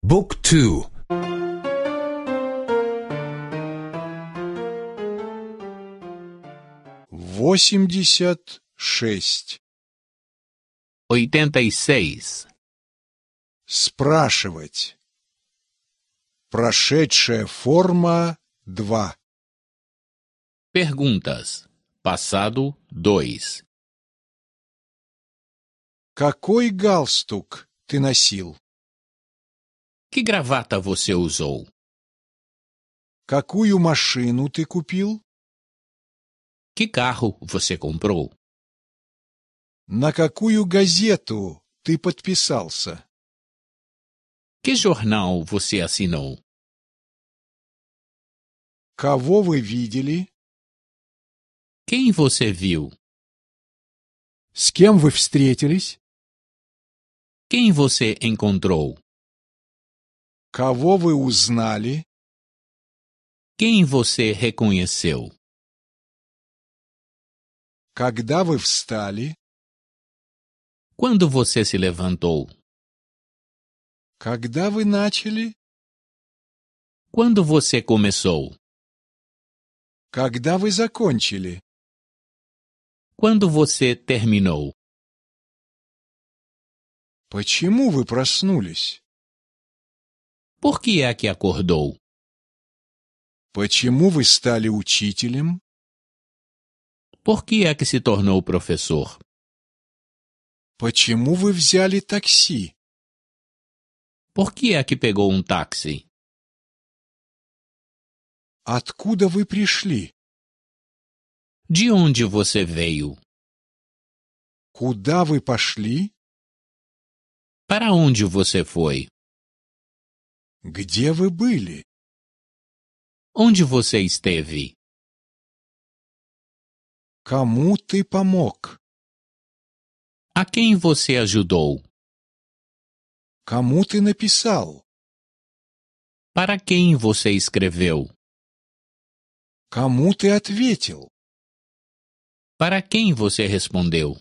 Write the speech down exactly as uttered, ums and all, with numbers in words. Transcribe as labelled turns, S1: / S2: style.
S1: Book two.
S2: Восемьдесят шесть.
S3: Oitenta e seis.
S2: Спрашивать. Прошедшая форма два.
S3: Perguntas. Passado dois.
S2: Какой галстук ты носил?
S3: Que gravata você usou?
S2: Какую машину ты купил?
S3: Que carro você comprou?
S2: На какую газету ты подписался?
S3: Que jornal você assinou?
S2: Кого вы видели?
S3: Quem você viu?
S2: С кем вы встретились?
S3: Quem você encontrou?
S2: Кого вы узнали?
S3: Quem você reconheceu?
S2: Когда вы встали?
S3: Quando você se levantou?
S2: Когда вы начали?
S3: Quando você começou?
S2: Когда вы закончили?
S3: Quando você terminou?
S2: Почему вы проснулись?
S3: Por que é que acordou?
S2: Почему вы стали учителем?
S3: Por que é que se tornou professor?
S2: Почему вы взяли такси?
S3: Por que é que pegou um táxi?
S2: Откуда вы пришли?
S3: De onde você veio?
S2: Куда вы пошли?
S3: Para onde você foi?
S2: Где вы были?
S3: Onde você esteve?
S2: Кому ты помог?
S3: A quem você ajudou?
S2: Кому ты написал?
S3: Para quem você escreveu?
S2: Кому ты ответил?
S3: Para quem você respondeu?